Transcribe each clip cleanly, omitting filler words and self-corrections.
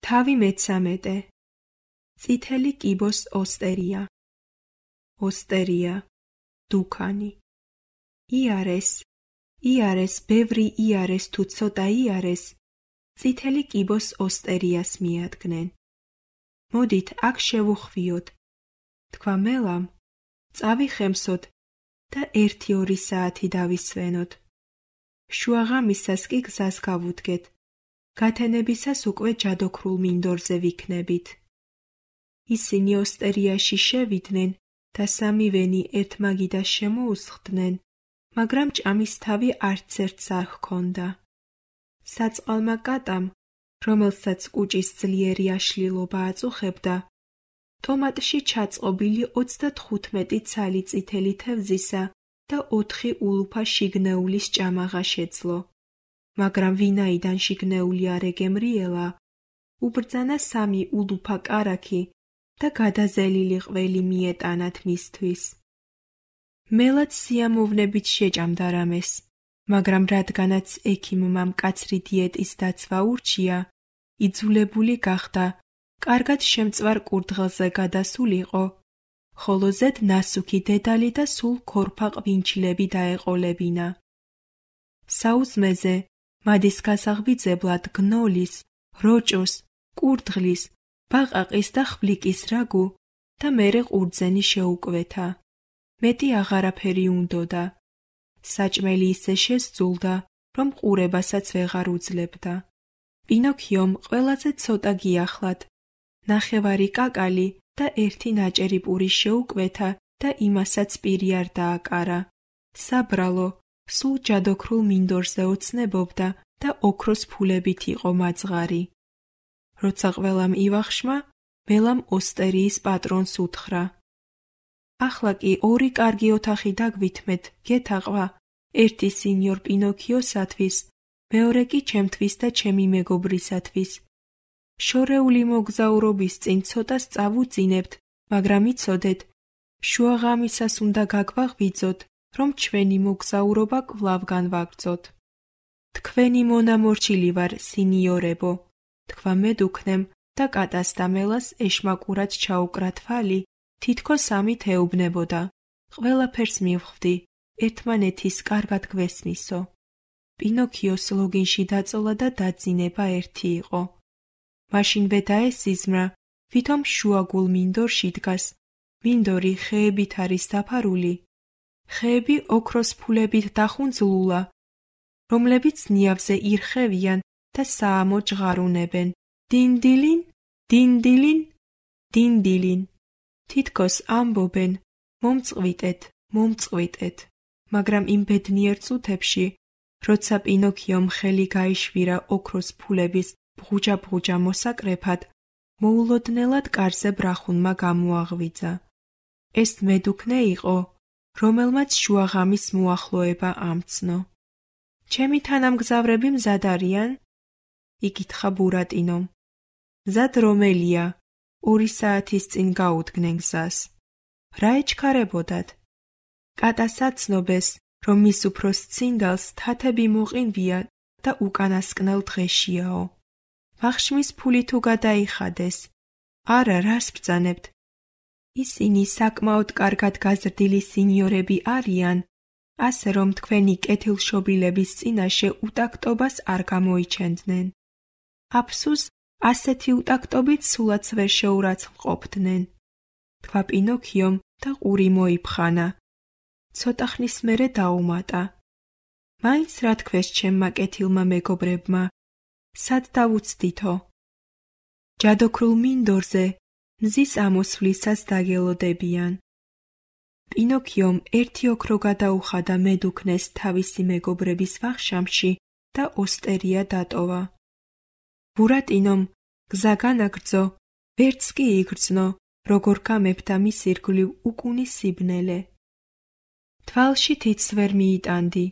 თავი მე-13. წითელი კიბოს ოსტერია. ოსტერია, დუქანი. იარეს, ბევრი იარეს თუ ცოტა იარეს, წითელი კიბოს ოსტერიას მიადგნენ. მოდით აქ შევუხვიოთ, თქვა მელამ, წავიხემსოთ და 1-2 საათი დავისვენოთ. შუაღამისას კი გზას გავუდგეთ, გათენებისას უკვე ჯადოქრულ მინდორზე ვიქნებით. ისინი ოსტერიაში შევიდნენ და სამივენი ერთმაგიდას შემოუსხდნენ, მაგრამ ჭამის თავი არც ერთს არ ჰქონდა. საწყალმა კატამ, რომელსაც კუჭის ძლიერი აშლილობა აწუხებდა, ტომატში ჩაწყობილი 35 ცალი წითელი თევზისა და 4 ულუფა შიგნეულის ჭამაღა შეძლო. მაგრამ ვინაიდან შიგნეული არ ეგემრიელა, უბრძანა 3 ულუფა კარაქი და გადაზელილი ყველი მიეტანათ მისთვის. მელაც სიამოვნებით შეჭამდა რამეს, მაგრამ რადგანაც ექიმმა მკაცრი დიეტის დაცვა ურჩია, იძულებული გახდა კარგად შემწვარ კურდღელზე გადასულიყო, ხოლო ზედ ნასუქი დედალი და სულ ქორფა ყვინჩილები დაეყოლებინა. საუზმეზე მადის გასაღვიძებლად გნოლის, როჭოს, კურდღლის, ბაყაყის და ხვლიკის რაგუ და მერე ყურძენი შეუკვეთა. მეტი აღარაფერი უნდოდა. საჭმელი ისე შესძულდა, რომ ყურებასაც ვეღარ უძლებდა. პინოქიომ ყველაზე ცოტა გიახლად, ნახევარი კაკალი და 1 ნაჭერი პური შეუკვეთა და იმასაც პირი არ დააკარა. საბრალო, სულ ჯადოქრულ მინდორზე ოცნებობდა და ოქროს ფულებით იყო მაძღარი. როცა ყველამ ივახშმა, მელამ ოსტერიის პატრონს უთხრა. ახლა კი 2 კარგი ოთახი დაგვითმეთ, გეთაყვა, ერთი სინიორ პინოქიოსათვის, მეორე კი ჩემთვის და ჩემი მეგობრისათვის. შორეული მოგზაურობის წინ ცოტას წავუძინებთ, მაგრამ იცოდეთ, შუაღამისას უნდა გაგვაღვიძოთ, რომ ჩვენი მოგზაურობა კვლავ განვაგრძოთ. თქვენი მონამორჩილი ვარ, სინიორებო, თქვა მედუქნემ და კატას და მელას ეშმაკურად ჩაუკრა თვალი, თითქოს ამით ეუბნებოდა. ყველაფერს მივხვდი, ერთმანეთის კარგად გვესმისო. პინოქიოს ლოგინში დაწოლა და დაძინება ერთი იყო. მაშინვე დაესიზმრა, ვითომ შუაგულ მინდორში დგას, მინდორი ხეებით არის დაფარული. ხეები ოქროს ფულებით დახუნძლულა, რომლებიც ნიავზე ირხევიან და საამო ჟღარუნებენ. დინდილინ, დინდილინ, დინდილინ. თითქოს ამბობენ, მომწყვიტეთ, მომწყვიტეთ, მაგრამ იმ ბედნიერ წუთებში, როცა პინოქიომ ხელი გაიშვირა ოქროს ფულების ბღუჯა-ბღუჯა მოსაკრეფად, მოულოდნელად კარზე ბრახუნმა გამოაღვიძა. ეს მედუქნე იყო, რომელმაც შუაღამის მოახლოება ამცნო. ჩემი თანამგზავრები მზად არიან? იკითხა ბურატინომ. მზად რომელია? 2 საათის წინ გაუდგნენ გზას. რა ეჩქარებოდათ? კატას აცნობეს, რომ მის უფროს ცინდალს თათები მოყინვია და უკანასკნელ დღეშიაო. ვახშმის ფული თუ გადაიხადეს? არა, რას ბრძანებთ? ისინი საკმაოდ კარგად გაზრდილი სინიორები არიან, ასე რომ თქვენი კეთილშობილების წინაშე უტაქტობას არ გამოიჩენდნენ. აფსუს, ასეთი უტაქტობით სულაც ვერ შეურაცხმყოფდნენ. თქვა პინოქიომ და ყური მოიფხანა. ცოტა ხნის მერე დაუმატა. მაინც რა თქვეს ჩემმა კეთილმა მეგობრებმა, სად დავუცდითო? ჯადოქრულ მინდორზე მზის ამოსვლისას დაგელოდებიან. პინოქიომ 1 ოქრო გადაუხადა მედუქნეს თავისი მეგობრების ვახშამში და ოსტერია დატოვა. ბურატინომ გზა განაგრძო, ვერც კი იგრძნო, როგორ გამეფდა მის ირგვლივ უკუნის სიბნელე. თვალში თითს ვერ მიიტანდი,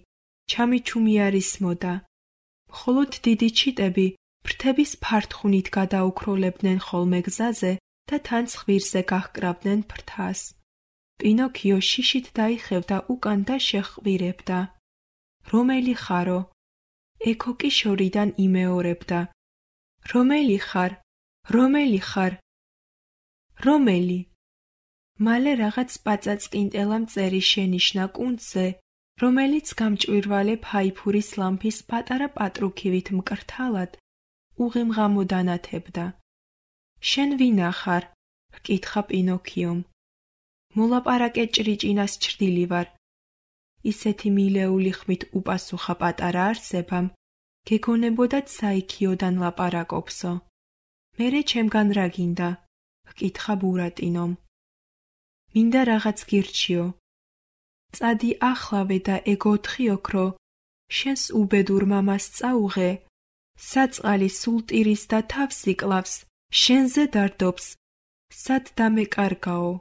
ჩამიჩუმი არ ისმოდა. მხოლოდ დიდი ჩიტები ფრთების ფართხუნით გადაუქროლებდნენ ხოლმე გზაზე და თან ცხვირზე გაჰკრავდნენ ფრთას. პინოქიო შიშით დაიხევდა უკან და შეჰყვირებდა. რომელი ხარო? ეკო კი შორიდან იმეორებდა. რომელი ხარ? რომელი ხარ? რომელი? მალე რაღაც პაწაწკინტელამ წერი შენიშნა კუნძზე, რომელიც გამჭვირვალე ფაიფურის ლამპის პატარა პატრუქივით მკრთალად უღიმღამო დანათებდა. შენ ვინა ხარ? ჰკითხა პინოქიომ. მოლაპარაკე ჭრიჭინას ჩრდილი ვარ. ისეთი მილეული ხმით უპასუხა პატარა არსებამ, გეგონებოდათ საიქიოდან ლაპარაკობსო. მერე ჩემგან რა გინდა? ჰკითხა ბურატინომ. მინდა რაღაც გირჩიო. წადი ახლავე და ეგ 4 ოქრო შენს უბედურ მამას წაუღე, საწყალი სულტირის და თავს იკლავს, შენზე დარდობს, სად დამეკარგაო.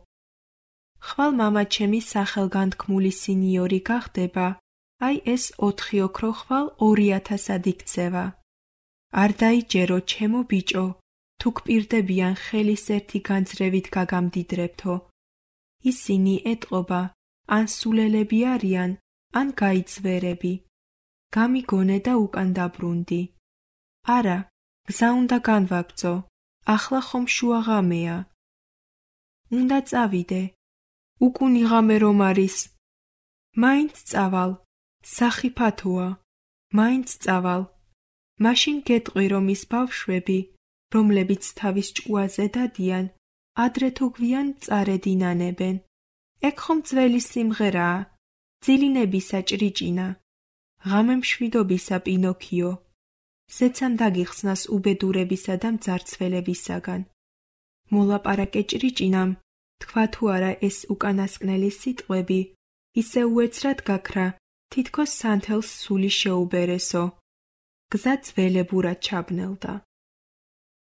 ხვალ მამა ჩემი სახელგანთქმული სინიორი გახდება, აი ეს 4 ოქრო ხვალ 2000-ად იქცევა. არ დაიჯერო ჩემო ბიჭო, თუ გპირდებიან ხელის ერთი განძრევით გაგამდიდრებთო. ისინი ეტყობა, ან სულელები არიან, ან გაიძვერები. გამიგონე და უკან დაბრუნდი. არა, გზა უნდა განვაგრძო, ახლა ხომ შუა ღამეა. უნდა წავიდე. უკუნი ღამე რომ არის. მაინც წავალ, სახიფათოა, მაინც წავალ. მაშინ გეტყვი რომ ის ბავშვები, რომლებიც თავის ჭკუაზე დადიან, ადრე თუ გვიან წარედინანებენ. ეგ ხომ ძველი სიმღერაა, ძილინებისა ჭრიჭინა. ღამე მშვიდობისა პინოქიო. ზეცამ დაგიხსნას უბედურებისა და მძარცველებისაგან. მოლაპარაკე ჭრიჭინამ თქვა თუ არა ეს უკანასკნელი სიტყვები, ისე უეცრად გაქრა, თითქოს სანთელს სული შეუბერესო. გზა ძველებურად ჩაბნელდა.